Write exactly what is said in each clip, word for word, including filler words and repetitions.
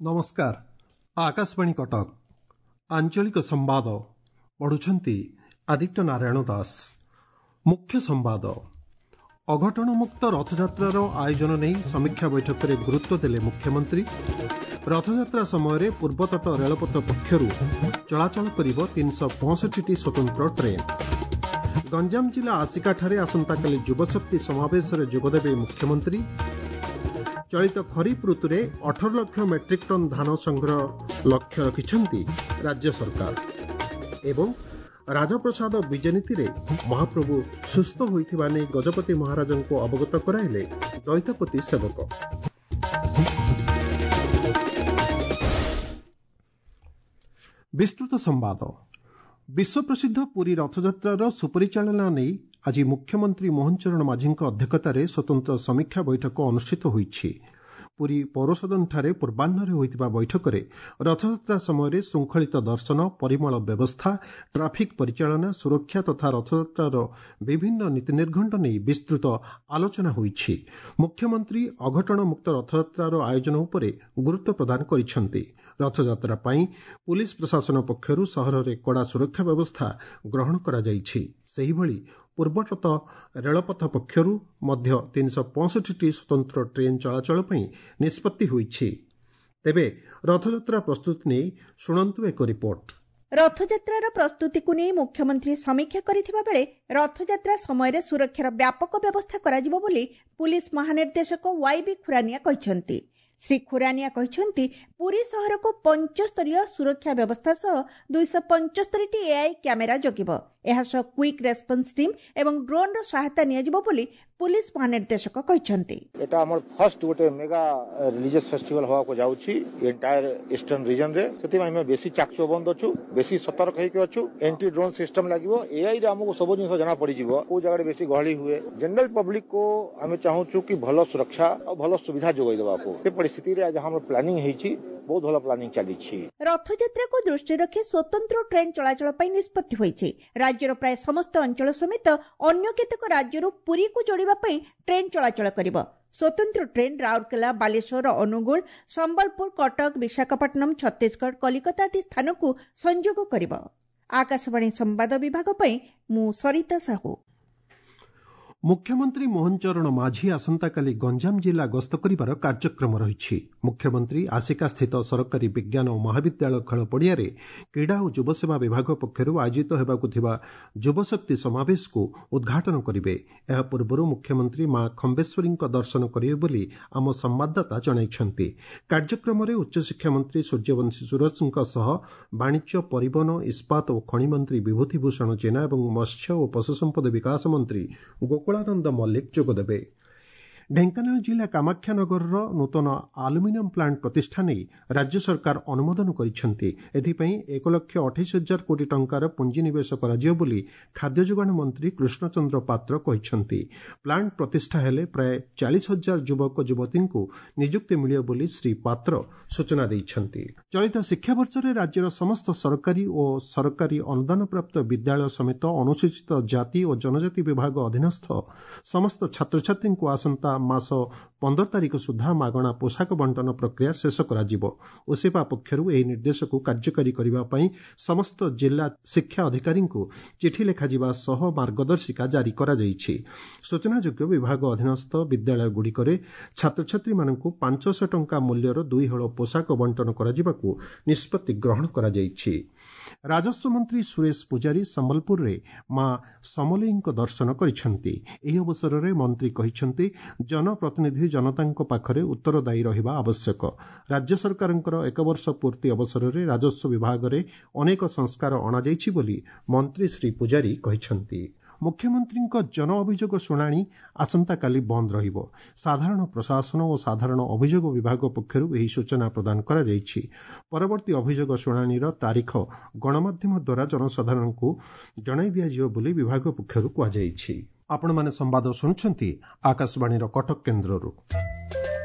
ନମସ୍କାର, ଆକାଶବାଣୀ କଟକ, ଆଞ୍ଚଳିକ ସମ୍ବାଦ ପଢୁଛନ୍ତି ଆଦିତ୍ୟ ନାରାୟଣ ଦାସ। ମୁଖ୍ୟ ସମ୍ବାଦ। ଅଘଟଣମୁକ୍ତ ରଥଯାତ୍ରାର ଆୟୋଜନ ନେଇ ସମୀକ୍ଷା ବୈଠକରେ ଗୁରୁତ୍ୱ ଦେଲେ ମୁଖ୍ୟମନ୍ତ୍ରୀ। ରଥଯାତ୍ରା ସମୟରେ ପୂର୍ବତଟ ରେଳପଥ ପକ୍ଷରୁ ଚଳାଚଳ କରିବ ତିନିଶହ ପଞ୍ଚଷଠିଟି ସ୍ୱତନ୍ତ୍ର ଟ୍ରେନ୍। ଗଞ୍ଜାମ ଜିଲ୍ଲା ଆସିକାଠାରେ ଆସନ୍ତାକାଲି ଯୁବଶକ୍ତି ସମାବେଶରେ ଯୋଗଦେବେ ମୁଖ୍ୟମନ୍ତ୍ରୀ। ଚଳିତ ଖରିଫ ଋତୁରେ ଅଠର ଲକ୍ଷ ମେଟ୍ରିକ୍ ଟନ୍ ଧାନ ସଂଗ୍ରହ ଲକ୍ଷ୍ୟ ରଖିଛନ୍ତି ରାଜ୍ୟ ସରକାର। ଏବଂ ରାଜପ୍ରସାଦ ବିଜେନୀତିରେ ମହାପ୍ରଭୁ ସୁସ୍ଥ ହୋଇଥିବା ନେଇ ଗଜପତି ମହାରାଜଙ୍କୁ ଅବଗତ କରାଇଲେ ଦୈତାପତି ସେବକ। ବିସ୍ତୃତ ସମ୍ବାଦ। ବିଶ୍ୱପ୍ରସିଦ୍ଧ ପୁରୀ ରଥଯାତ୍ରାର ସୁପରିଚାଳନା ନେଇ ଆଜି ମୁଖ୍ୟମନ୍ତ୍ରୀ ମୋହନ ଚରଣ ମାଝୀଙ୍କ ଅଧ୍ୟକ୍ଷତାରେ ସ୍ୱତନ୍ତ୍ର ସମୀକ୍ଷା ବୈଠକ ଅନୁଷ୍ଠିତ ହୋଇଛି। ପୁରୀ ପୌରସଦନଠାରେ ପୂର୍ବାହ୍ନରେ ହୋଇଥିବା ବୈଠକରେ ରଥଯାତ୍ରା ସମୟରେ ଶୃଙ୍ଖଳିତ ଦର୍ଶନ, ପରିମଳ ବ୍ୟବସ୍ଥା, ଟ୍ରାଫିକ୍ ପରିଚାଳନା, ସୁରକ୍ଷା ତଥା ରଥଯାତ୍ରାର ବିଭିନ୍ନ ନୀତିନିର୍ଘଣ୍ଟ ନେଇ ବିସ୍ତୃତ ଆଲୋଚନା ହୋଇଛି। ମୁଖ୍ୟମନ୍ତ୍ରୀ ଅଘଟଣମୁକ୍ତ ରଥଯାତ୍ରାର ଆୟୋଜନ ଉପରେ ଗୁରୁତ୍ୱ ପ୍ରଦାନ କରିଛନ୍ତି। ରଥଯାତ୍ରା ପାଇଁ ପୁଲିସ ପ୍ରଶାସନ ପକ୍ଷରୁ ସହରରେ କଡ଼ା ସୁରକ୍ଷା ବ୍ୟବସ୍ଥା ଗ୍ରହଣ କରାଯାଇଛି। ସେହିଭଳି ପୂର୍ବତଟ ରେଳପଥ ପକ୍ଷରୁ ମଧ୍ୟ ତିନିଶହ ପଞ୍ଚଷଠିଟି ସ୍ୱତନ୍ତ୍ର ଟ୍ରେନ୍ ଚଳାଚଳ ପାଇଁ ନିଷ୍ପତ୍ତି ହୋଇଛି। ତେବେ ରଥଯାତ୍ରା ପ୍ରସ୍ତୁତି ନେଇ ଶୁଣନ୍ତୁ ଏକ ରିପୋର୍ଟ। ରଥଯାତ୍ରାର ପ୍ରସ୍ତୁତିକୁ ନେଇ ମୁଖ୍ୟମନ୍ତ୍ରୀ ସମୀକ୍ଷା କରିଥିବା ବେଳେ ରଥଯାତ୍ରା ସମୟରେ ସୁରକ୍ଷାର ବ୍ୟାପକ ବ୍ୟବସ୍ଥା କରାଯିବ ବୋଲି ପୁଲିସ ମହାନିର୍ଦ୍ଦେଶକ ୱାଇ ବି ଖୁରାନିଆ କହିଛନ୍ତି। ଶ୍ରୀ ଖୁରାନିଆ କହିଛନ୍ତି, ପୁରୀ ସହରକୁ ପଞ୍ଚସ୍ତରୀୟ ସୁରକ୍ଷା ବ୍ୟବସ୍ଥା ସହ ଦୁଇଶହ ପଞ୍ଚସ୍ତରୀଟି ଏଆଇ କ୍ୟାମେରା ଜଗିବ। ଏହାସହ କ୍ୱିକ୍ ରେସ୍ପନ୍ସ ଟିମ୍ ଏବଂ ଡ୍ରୋନ୍ର ସହାୟତା ନିଆଯିବ ବୋଲି ପୁଲିସ ମହାନିର୍ଦ୍ଦେଶକ କହିଛନ୍ତି। ଏଟା ଆମର ଫାର୍ଷ୍ଟ ଗୋଟେ ମେଗା ରିଲିଜିୟସ୍ ଫେଷ୍ଟିଭାଲ ହେବାକୁ ଯାଉଛି ଏଣ୍ଟାୟାର ଇଷ୍ଟର୍ନ ରିଜନରେ। ସେଥିପାଇଁ ଆମେ ବେଶୀ ଚାକଚୌବନ୍ଦ ଅଛୁ, ବେଶୀ ସତର୍କ ହେଇକି ଅଛୁ। ଏଣ୍ଟି ଡ୍ରୋନ୍ ସିଷ୍ଟମ ଲାଗିବ। ଏଆଇ ରେ ଆମକୁ ସବୁ ଜିନିଷ ଜଣା ପଡିଯିବ, କୋଉ ଜାଗାରେ ବେଶୀ ଗହଳି ହୁଏ। ଜେନେରାଲ ପବ୍ଲିକ କୁ ଆମେ ଚାହୁଁଛୁ କି ଭଲ ସୁରକ୍ଷା ଆଉ ଭଲ ସୁବିଧା ଯୋଗାଇ ଦେବାକୁ। ସେ ପରିସ୍ଥିତିରେ ଆଜି ଆମର ପ୍ଲାନିଂ ହେଇଛି, ବହୁତ ଭଲ ପ୍ଲାନିଂ ଚାଲିଛି। ରଥଯାତ୍ରାକୁ ଦୃଷ୍ଟିରେ ରଖି ସ୍ୱତନ୍ତ୍ର ଟ୍ରେନ୍ ଚଳାଚଳ ପାଇଁ ନିଷ୍ପତ୍ତି ହୋଇଛି। ରାଜ୍ୟର ପ୍ରାୟ ସମସ୍ତ ଅଞ୍ଚଳ ସମେତ ଅନ୍ୟ କେତେକ ରାଜ୍ୟରୁ ପୁରୀକୁ ଯୋଡ଼ିବା ପାଇଁ ଟ୍ରେନ୍ ଚଳାଚଳ କରିବ। ସ୍ୱତନ୍ତ୍ର ଟ୍ରେନ୍ ରାଉରକେଲା, ବାଲେଶ୍ୱର, ଅନୁଗୁଳ, ସମ୍ବଲପୁର, କଟକ, ବିଶାଖାପଟ୍ଟନମ, ଛତିଶଗଡ଼, କଲିକତା ଆଦି ସ୍ଥାନକୁ ସଂଯୋଗ କରିବ। ଆକାଶବାଣୀ ସମ୍ବାଦ ବିଭାଗ ପାଇଁ ମୁଁ ସରିତା ସାହୁ। ମୁଖ୍ୟମନ୍ତ୍ରୀ ମୋହନ ଚରଣ ମାଝୀ ଆସନ୍ତାକାଲି ଗଞ୍ଜାମ ଜିଲ୍ଲା ଗସ୍ତ କରିବାର କାର୍ଯ୍ୟକ୍ରମ ରହିଛି। ମୁଖ୍ୟମନ୍ତ୍ରୀ ଆସିକାସ୍ଥିତ ସରକାରୀ ବିଜ୍ଞାନ ଓ ମହାବିଦ୍ୟାଳୟ ଖେଳ ପଡ଼ିଆରେ କ୍ରୀଡ଼ା ଓ ଯୁବସେବା ବିଭାଗ ପକ୍ଷରୁ ଆୟୋଜିତ ହେବାକୁ ଥିବା ଯୁବଶକ୍ତି ସମାବେଶକୁ ଉଦ୍ଘାଟନ କରିବେ। ଏହା ପୂର୍ବରୁ ମୁଖ୍ୟମନ୍ତ୍ରୀ ମା ଖମ୍ବେଶ୍ୱରୀଙ୍କ ଦର୍ଶନ କରିବେ ବୋଲି ଆମ ସମ୍ବାଦଦାତା ଜଣାଇଛନ୍ତି। କାର୍ଯ୍ୟକ୍ରମରେ ଉଚ୍ଚଶିକ୍ଷା ମନ୍ତ୍ରୀ ସୂର୍ଯ୍ୟବଂଶୀ ସୁରଜଙ୍କ ସହ ବାଣିଜ୍ୟ, ପରିବହନ, ଇସ୍ପାତ ଓ ଖଣି ମନ୍ତ୍ରୀ ବିଭୂତି ଭୂଷଣ ଜେନା ଏବଂ ମତ୍ସ୍ୟ ଓ ପଶୁସମ୍ପଦ ବିକାଶ ମନ୍ତ୍ରୀ ଗୋକୁଳାନନ୍ଦ ମଲ୍ଲିକ ଯୋଗଦେବେ। ଢେଙ୍କାନାଳ ଜିଲ୍ଲା କାମାକ୍ଷାନଗରର ନୂତନ ଆଲୁମିନିୟମ ପ୍ଲାଣ୍ଟ ପ୍ରତିଷ୍ଠା ନେଇ ରାଜ୍ୟ ସରକାର ଅନୁମୋଦନ କରିଛନ୍ତି। ଏଥିପାଇଁ ଏକ ଲକ୍ଷ ଅଠେଇଶ ହଜାର କୋଟି ଟଙ୍କାର ପୁଞ୍ଜିନିବେଶ କରାଯିବ ବୋଲି ଖାଦ୍ୟ ଯୋଗାଣ ମନ୍ତ୍ରୀ କୃଷ୍ଣଚନ୍ଦ୍ର ପାତ୍ର କହିଛନ୍ତି। ପ୍ଲାଣ୍ଟ ପ୍ରତିଷ୍ଠା ହେଲେ ପ୍ରାୟ ଚାଳିଶ ହଜାର ଯୁବକ ଯୁବତୀଙ୍କୁ ନିଯୁକ୍ତି ମିଳିବ ବୋଲି ଶ୍ରୀ ପାତ୍ର ସୂଚନା ଦେଇଛନ୍ତି। ଚଳିତ ଶିକ୍ଷାବର୍ଷରେ ରାଜ୍ୟର ସମସ୍ତ ସରକାରୀ ଓ ସରକାରୀ ଅନୁଦାନପ୍ରାପ୍ତ ବିଦ୍ୟାଳୟ ସମେତ ଅନୁସୂଚିତ ଜାତି ଓ ଜନଜାତି ବିଭାଗ ଅଧୀନସ୍ଥ ସମସ୍ତ ଛାତ୍ରଛାତ୍ରୀଙ୍କୁ ଆସନ୍ତା ମାସ ପନ୍ଦର ତାରିଖ ସୁଦ୍ଧା ମାଗଣା ପୋଷାକ ବଣ୍ଟନ ପ୍ରକ୍ରିୟା ଶେଷ କରାଯିବ। ଓସେପା ପକ୍ଷରୁ ଏହି ନିର୍ଦ୍ଦେଶକୁ କାର୍ଯ୍ୟକାରୀ କରିବା ପାଇଁ ସମସ୍ତ ଜିଲ୍ଲା ଶିକ୍ଷା ଅଧିକାରୀଙ୍କୁ ଚିଠି ଲେଖାଯିବା ସହ ମାର୍ଗଦର୍ଶିକା ଜାରି କରାଯାଇଛି। ସୂଚନାଯୋଗ୍ୟ, ବିଭାଗ ଅଧୀନସ୍ଥ ବିଦ୍ୟାଳୟଗୁଡ଼ିକରେ ଛାତ୍ରଛାତ୍ରୀମାନଙ୍କୁ ପାଞ୍ଚଶହ ଟଙ୍କା ମୂଲ୍ୟର ଦୁଇ ହଳ ପୋଷାକ ବଣ୍ଟନ କରାଯିବାକୁ ନିଷ୍ପତ୍ତି ଗ୍ରହଣ କରାଯାଇଛି। ରାଜସ୍ୱ ମନ୍ତ୍ରୀ ସୁରେଶ ପୂଜାରୀ ସମ୍ବଲପୁରରେ ମା ସମଲେଇଙ୍କ ଦର୍ଶନ କରିଛନ୍ତି। ଏହି ଅବସରରେ ମନ୍ତ୍ରୀ କହିଛନ୍ତି, ଜନପ୍ରତିନିଧି ଜନତାଙ୍କ ପାଖରେ ଉତ୍ତରଦାୟୀ ରହିବା ଆବଶ୍ୟକ। ରାଜ୍ୟ ସରକାରଙ୍କର ଏକ ବର୍ଷ ପୂର୍ତ୍ତି ଅବସରରେ ରାଜସ୍ୱ ବିଭାଗରେ ଅନେକ ସଂସ୍କାର ଅଣାଯାଇଛି ବୋଲି ମନ୍ତ୍ରୀ ଶ୍ରୀ ପୂଜାରୀ କହିଛନ୍ତି। ମୁଖ୍ୟମନ୍ତ୍ରୀଙ୍କ ଜନ ଅଭିଯୋଗ ଶୁଣାଣି ଆସନ୍ତାକାଲି ବନ୍ଦ ରହିବ। ସାଧାରଣ ପ୍ରଶାସନ ଓ ସାଧାରଣ ଅଭିଯୋଗ ବିଭାଗ ପକ୍ଷରୁ ଏହି ସୂଚନା ପ୍ରଦାନ କରାଯାଇଛି। ପରବର୍ତ୍ତୀ ଅଭିଯୋଗ ଶୁଣାଣିର ତାରିଖ ଗଣମାଧ୍ୟମ ଦ୍ୱାରା ଜନସାଧାରଣଙ୍କୁ ଜଣାଇ ଦିଆଯିବ ବୋଲି ବିଭାଗ ପକ୍ଷରୁ କୁହାଯାଇଛି। ଆପଣମାନେ ସମ୍ବାଦ ଶୁଣୁଛନ୍ତି ଆକାଶବାଣୀର କଟକ କେନ୍ଦ୍ରରୁ।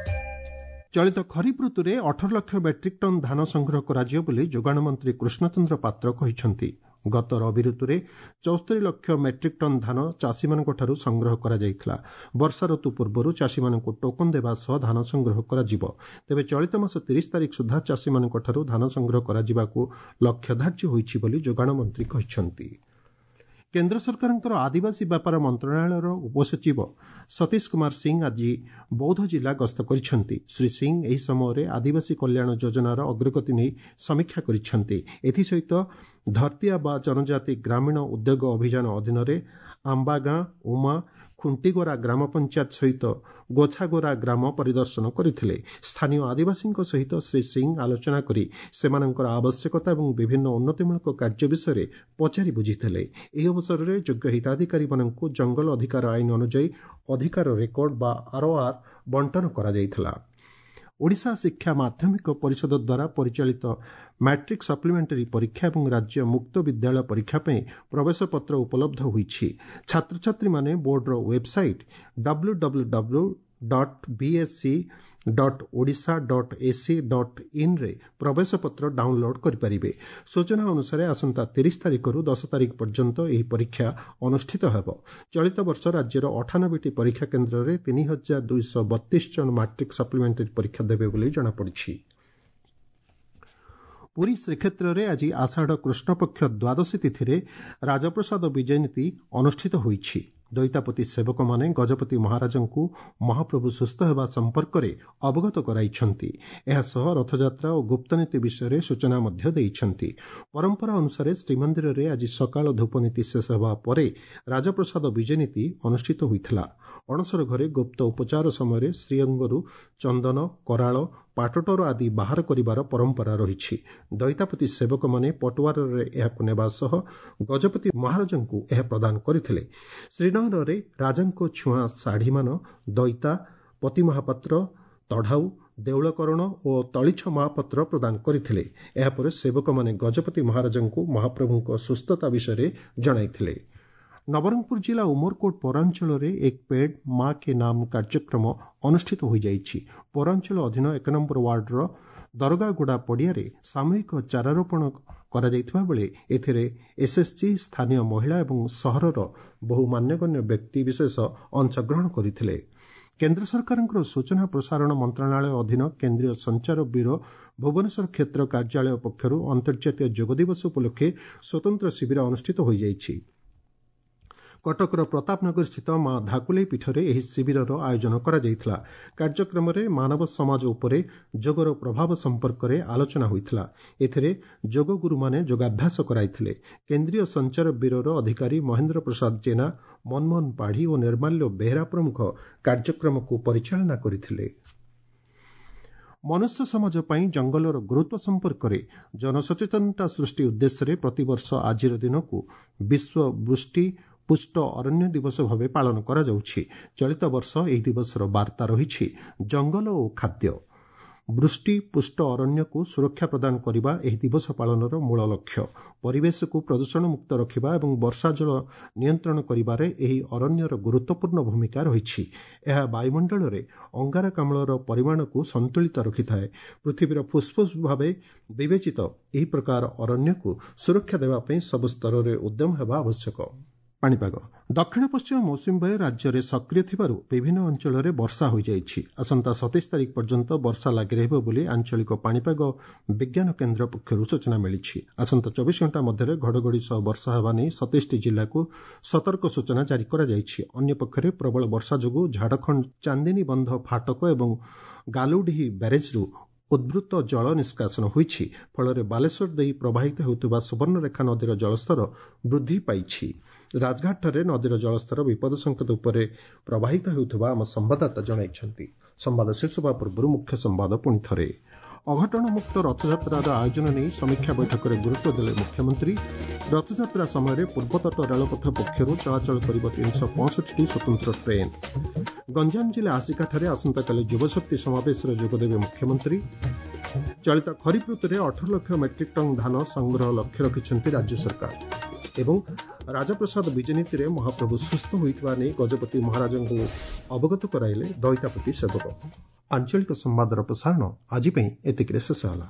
ଚଳିତ ଖରିଫ ଋତୁରେ ଅଠର ଲକ୍ଷ ମେଟ୍ରିକ୍ ଟନ୍ ଧାନ ସଂଗ୍ରହ କରାଯିବ ବୋଲି ଯୋଗାଣ ମନ୍ତ୍ରୀ କୃଷ୍ଣଚନ୍ଦ୍ର ପାତ୍ର କହିଛନ୍ତି। ଗତ ରବି ଋତୁରେ ଚଉସ୍ତରୀ ଲକ୍ଷ ମେଟ୍ରିକ୍ ଟନ୍ ଧାନ ଚାଷୀମାନଙ୍କଠାରୁ ସଂଗ୍ରହ କରାଯାଇଥିଲା। ବର୍ଷା ଋତୁ ପୂର୍ବରୁ ଚାଷୀମାନଙ୍କୁ ଟୋକନ ଦେବା ସହ ଧାନ ସଂଗ୍ରହ କରାଯିବ। ତେବେ ଚଳିତ ମାସ ତିରିଶ ତାରିଖ ସୁଦ୍ଧା ଚାଷୀମାନଙ୍କଠାରୁ ଧାନ ସଂଗ୍ରହ କରାଯିବାକୁ ଲକ୍ଷ୍ୟ ଧାର୍ଯ୍ୟ ହୋଇଛି ବୋଲି ଯୋଗାଣ ମନ୍ତ୍ରୀ କହିଛନ୍ତି। କେନ୍ଦ୍ର ସରକାରଙ୍କର ଆଦିବାସୀ ବ୍ୟାପାର ମନ୍ତ୍ରଣାଳୟର ଉପସଚିବ ସତୀଶ କୁମାର ସିଂ ଆଜି ବୌଦ୍ଧ ଜିଲ୍ଲା ଗସ୍ତ କରିଛନ୍ତି। ଶ୍ରୀ ସିଂ ଏହି ସମୟରେ ଆଦିବାସୀ କଲ୍ୟାଣ ଯୋଜନାର ଅଗ୍ରଗତି ନେଇ ସମୀକ୍ଷା କରିଛନ୍ତି। ଏଥିସହିତ ଧରତିଆବା ଜନଜାତି ଗ୍ରାମୀଣ ଉଦ୍ୟୋଗ ଅଭିଯାନ ଅଧୀନରେ ଆମ୍ବାଗାଁ, ଉମା, ଖୁଣ୍ଟିଗୋରା ଗ୍ରାମ ପଞ୍ଚାୟତ ସହିତ ଗୋଛାଗୋରା ଗ୍ରାମ ପରିଦର୍ଶନ କରିଥିଲେ। ସ୍ଥାନୀୟ ଆଦିବାସୀଙ୍କ ସହିତ ଶ୍ରୀ ସିଂ ଆଲୋଚନା କରି ସେମାନଙ୍କର ଆବଶ୍ୟକତା ଏବଂ ବିଭିନ୍ନ ଉନ୍ନତିମୂଳକ କାର୍ଯ୍ୟ ବିଷୟରେ ପଚାରି ବୁଝିଥିଲେ। ଏହି ଅବସରରେ ଯୋଗ୍ୟ ହିତାଧିକାରୀମାନଙ୍କୁ ଜଙ୍ଗଲ ଅଧିକାର ଆଇନ ଅନୁଯାୟୀ ଅଧିକାର ରେକର୍ଡ ବା ଆର୍ଓଆର୍ ବଣ୍ଟନ କରାଯାଇଥିଲା। ଓଡ଼ିଶା ଶିକ୍ଷା ମାଧ୍ୟମିକ ପରିଷଦ ଦ୍ୱାରା ପରିଚାଳିତ ମାଟ୍ରିକ୍ ସପ୍ଲିମେଣ୍ଟାରୀ ପରୀକ୍ଷା ଏବଂ ରାଜ୍ୟ ମୁକ୍ତ ବିଦ୍ୟାଳୟ ପରୀକ୍ଷା ପାଇଁ ପ୍ରବେଶପତ୍ର ଉପଲବ୍ଧ ହୋଇଛି। ଛାତ୍ରଛାତ୍ରୀମାନେ ବୋର୍ଡର website W W W dot BSE dot Odisha dot AC dot ଇନ୍ରେ ପ୍ରବେଶପତ୍ର ଡାଉନଲୋଡ୍ କରିପାରିବେ। ସୂଚନା ଅନୁସାରେ ଆସନ୍ତା ତିରିଶ ତାରିଖରୁ ଦଶ ତାରିଖ ପର୍ଯ୍ୟନ୍ତ ଏହି ପରୀକ୍ଷା ଅନୁଷ୍ଠିତ ହେବ। ଚଳିତ ବର୍ଷ ରାଜ୍ୟର ଅଠାନବେଟି ପରୀକ୍ଷା କେନ୍ଦ୍ରରେ ତିନି ହଜାର ଦୁଇଶହ ବତିଶ ଜଣ ମାଟ୍ରିକ୍ ସପ୍ଲିମେଣ୍ଟାରୀ ପରୀକ୍ଷା ଦେବେ ବୋଲି ଜଣାପଡ଼ିଛି। ପୁରୀ ଶ୍ରୀକ୍ଷେତ୍ରରେ ଆଜି ଆଷାଢ଼ କୃଷ୍ଣପକ୍ଷ ଦ୍ୱାଦଶୀ ତିଥିରେ ରାଜପ୍ରସାଦ ବିଜୟ ନୀତି ଅନୁଷ୍ଠିତ ହୋଇଛି। ଦଇତାପତି ସେବକମାନେ ଗଜପତି ମହାରାଜଙ୍କୁ ମହାପ୍ରଭୁ ସୁସ୍ଥ ହେବା ସମ୍ପର୍କରେ ଅବଗତ କରାଇଛନ୍ତି। ଏହାସହ ରଥଯାତ୍ରା ଓ ଗୁପ୍ତନୀତି ବିଷୟରେ ସୂଚନା ମଧ୍ୟ ଦେଇଛନ୍ତି। ପରମ୍ପରା ଅନୁସାରେ ଶ୍ରୀମନ୍ଦିରରେ ଆଜି ସକାଳ ଧୂପନୀତି ଶେଷ ହେବା ପରେ ରାଜପ୍ରସାଦ ବିଜୟନୀତି ଅନୁଷ୍ଠିତ ହୋଇଥିଲା। ଅଣସର ଘରେ ଗୁପ୍ତ ଉପଚାର ସମୟରେ ଶ୍ରୀଅଙ୍ଗରୁ ଚନ୍ଦନ, କରାଳ, ପାଟଟର ଆଦି ବାହାର କରିବାର ପରମ୍ପରା ରହିଛି। ଦଇତାପତି ସେବକମାନେ ପଟୁଆରରେ ଏହାକୁ ନେବା ସହ ଗଜପତି ମହାରାଜଙ୍କୁ ଏହା ପ୍ରଦାନ କରିଥିଲେ। ଶ୍ରୀନଅରରେ ରାଜାଙ୍କ ଛୁଆଁ ଶାଢ଼ୀମାନ ଦଇତା, ପତି ମହାପାତ୍ର, ତଢ଼ାଉ, ଦେଉଳକରଣ ଓ ତଳିଛ ମହାପାତ୍ର ପ୍ରଦାନ କରିଥିଲେ। ଏହାପରେ ସେବକମାନେ ଗଜପତି ମହାରାଜଙ୍କୁ ମହାପ୍ରଭୁଙ୍କ ସୁସ୍ଥତା ବିଷୟରେ ଜଣାଇଥିଲେ। ନବରଙ୍ଗପୁର ଜିଲ୍ଲା ଉମରକୋଟ ପୌରାଞ୍ଚଳରେ ଏକ ପେଡ୍ ମା କେ ନାମ କାର୍ଯ୍ୟକ୍ରମ ଅନୁଷ୍ଠିତ ହୋଇଯାଇଛି। ପୌରାଞ୍ଚଳ ଅଧୀନ ଏକ ନମ୍ବର ୱାର୍ଡର ଦରଗାଗୁଡ଼ା ପଡ଼ିଆରେ ସାମୂହିକ ଚାରାରୋପଣ କରାଯାଇଥିବା ବେଳେ ଏଥିରେ ଏସ୍ଏସ୍ଜି, ସ୍ଥାନୀୟ ମହିଳା ଏବଂ ସହରର ବହୁ ମାନ୍ୟଗଣ୍ୟ ବ୍ୟକ୍ତିବିଶେଷ ଅଂଶଗ୍ରହଣ କରିଥିଲେ। କେନ୍ଦ୍ର ସରକାରଙ୍କର ସୂଚନା ପ୍ରସାରଣ ମନ୍ତ୍ରଣାଳୟ ଅଧୀନ କେନ୍ଦ୍ରୀୟ ସଞ୍ଚାର ବ୍ୟୁରୋ ଭୁବନେଶ୍ୱର କ୍ଷେତ୍ର କାର୍ଯ୍ୟାଳୟ ପକ୍ଷରୁ ଅନ୍ତର୍ଜାତୀୟ ଯୋଗ ଦିବସ ଉପଲକ୍ଷେ ସ୍ୱତନ୍ତ୍ର ଶିବିର ଅନୁଷ୍ଠିତ ହୋଇଯାଇଛି। କଟକର ପ୍ରତାପନଗରସ୍ଥିତ ମା ଧାକୁଲେଇ ପୀଠରେ ଏହି ଶିବିରର ଆୟୋଜନ କରାଯାଇଥିଲା। କାର୍ଯ୍ୟକ୍ରମରେ ମାନବ ସମାଜ ଉପରେ ଯୋଗର ପ୍ରଭାବ ସମ୍ପର୍କରେ ଆଲୋଚନା ହୋଇଥିଲା। ଏଥିରେ ଯୋଗଗୁରୁମାନେ ଯୋଗାଭ୍ୟାସ କରାଇଥିଲେ। କେନ୍ଦ୍ରୀୟ ସଞ୍ଚାର ବ୍ୟୁରୋର ଅଧିକାରୀ ମହେନ୍ଦ୍ର ପ୍ରସାଦ ଜେନା, ମନମୋହନ ପାଢ଼ୀ ଓ ନିର୍ମାଲ୍ୟ ବେହେରା ପ୍ରମୁଖ କାର୍ଯ୍ୟକ୍ରମକୁ ପରିଚାଳନା କରିଥିଲେ। ମନୁଷ୍ୟ ସମାଜ ପାଇଁ ଜଙ୍ଗଲର ଗୁରୁତ୍ୱ ସମ୍ପର୍କରେ ଜନସଚେତନତା ସୃଷ୍ଟି ଉଦ୍ଦେଶ୍ୟରେ ପ୍ରତିବର୍ଷ ଆଜିର ଦିନକୁ ବିଶ୍ୱ ବୃଷ୍ଟି ପୁଷ୍ଟ ଅରଣ୍ୟ ଦିବସ ଭାବେ ପାଳନ କରାଯାଉଛି। ଚଳିତ ବର୍ଷ ଏହି ଦିବସର ବାର୍ତ୍ତା ରହିଛି ଜଙ୍ଗଲ ଓ ଖାଦ୍ୟ। ବୃଷ୍ଟି ପୁଷ୍ଟ ଅରଣ୍ୟକୁ ସୁରକ୍ଷା ପ୍ରଦାନ କରିବା ଏହି ଦିବସ ପାଳନର ମୂଳ ଲକ୍ଷ୍ୟ। ପରିବେଶକୁ ପ୍ରଦୂଷଣମୁକ୍ତ ରଖିବା ଏବଂ ବର୍ଷା ଜଳ ନିୟନ୍ତ୍ରଣ କରିବାରେ ଏହି ଅରଣ୍ୟର ଗୁରୁତ୍ୱପୂର୍ଣ୍ଣ ଭୂମିକା ରହିଛି। ଏହା ବାୟୁମଣ୍ଡଳରେ ଅଙ୍ଗାରକାମ୍ଳର ପରିମାଣକୁ ସନ୍ତୁଳିତ ରଖିଥାଏ। ପୃଥିବୀର ଫୁସ୍ଫୁସ୍ ଭାବେ ବିବେଚିତ ଏହି ପ୍ରକାର ଅରଣ୍ୟକୁ ସୁରକ୍ଷା ଦେବା ପାଇଁ ସବୁ ସ୍ତରରେ ଉଦ୍ୟମ ହେବା ଆବଶ୍ୟକ। ପାଣିପାଗ। ଦକ୍ଷିଣ ପଶ୍ଚିମ ମୌସୁମୀ ବାୟୁ ରାଜ୍ୟରେ ସକ୍ରିୟ ଥିବାରୁ ବିଭିନ୍ନ ଅଞ୍ଚଳରେ ବର୍ଷା ହୋଇଯାଇଛି। ଆସନ୍ତା ସତେଇଶ ତାରିଖ ପର୍ଯ୍ୟନ୍ତ ବର୍ଷା ଲାଗି ରହିବ ବୋଲି ଆଞ୍ଚଳିକ ପାଣିପାଗ ବିଜ୍ଞାନ କେନ୍ଦ୍ର ପକ୍ଷରୁ ସୂଚନା ମିଳିଛି। ଆସନ୍ତା ଚବିଶ ଘଣ୍ଟା ମଧ୍ୟରେ ଘଡ଼ଘଡ଼ି ସହ ବର୍ଷା ହେବା ନେଇ ସତେଇଶଟି ଜିଲ୍ଲାକୁ ସତର୍କ ସୂଚନା ଜାରି କରାଯାଇଛି। ଅନ୍ୟପକ୍ଷରେ ପ୍ରବଳ ବର୍ଷା ଯୋଗୁଁ ଝାଡ଼ଖଣ୍ଡ ଚାନ୍ଦିନୀବନ୍ଧ ଫାଟକ ଏବଂ ଗାଲୁଡିହି ବ୍ୟାରେଜ୍ରୁ ଉଦ୍ବୃତ୍ତ ଜଳ ନିଷ୍କାସନ ହୋଇଛି। ଫଳରେ ବାଲେଶ୍ୱର ଦେଇ ପ୍ରବାହିତ ହେଉଥିବା ସୁବର୍ଣ୍ଣରେଖା ନଦୀର ଜଳସ୍ତର ବୃଦ୍ଧି ପାଇଛି। ରାଜଘାଟଠାରେ ନଦୀର ଜଳସ୍ତର ବିପଦ ସଂକେତ ଉପରେ ପ୍ରବାହିତ ହେଉଥିବା ଆମ ସମ୍ବାଦଦାତା ଜଣାଇଛନ୍ତି। ସମ୍ବାଦ ଶେଷ ହେବା ପୂର୍ବରୁ ମୁଖ୍ୟ ସମ୍ବାଦ ପୁଣି ଥରେ। ଅଘଟଣମୁକ୍ତ ରଥଯାତ୍ରାର ଆୟୋଜନ ନେଇ ସମୀକ୍ଷା ବୈଠକରେ ଗୁରୁତ୍ୱ ଦେଲେ ମୁଖ୍ୟମନ୍ତ୍ରୀ। ରଥଯାତ୍ରା ସମୟରେ ପୂର୍ବତଟ ରେଳପଥ ପକ୍ଷରୁ ଚଳାଚଳ କରିବ ତିନିଶହ ପଞ୍ଚଷଠିଟି ସ୍ୱତନ୍ତ୍ର ଟ୍ରେନ୍। ଗଞ୍ଜାମ ଜିଲ୍ଲା ଆସିକାଠାରେ ଆସନ୍ତାକାଲି ଯୁବଶକ୍ତି ସମାବେଶରେ ଯୋଗଦେବେ ମୁଖ୍ୟମନ୍ତ୍ରୀ। ଚଳିତ ଖରିଫ ଋତୁରେ ଅଠର ଲକ୍ଷ ମେଟ୍ରିକ୍ ଟନ୍ ଧାନ ସଂଗ୍ରହ ଲକ୍ଷ୍ୟ ରଖିଛନ୍ତି ରାଜ୍ୟ ସରକାର। ଏବଂ ରାଜପ୍ରସାଦ ବିଜୟନୀତିରେ ମହାପ୍ରଭୁ ସୁସ୍ଥ ହୋଇଥିବା ନେଇ ଗଜପତି ମହାରାଜଙ୍କୁ ଅବଗତ କରାଇଲେ ଦଇତାପତି ସେବକ। ଆଞ୍ଚଳିକ ସମ୍ବାଦର ପ୍ରସାରଣ ଆଜି ପାଇଁ ଏତିକିରେ ଶେଷ ହେଲା।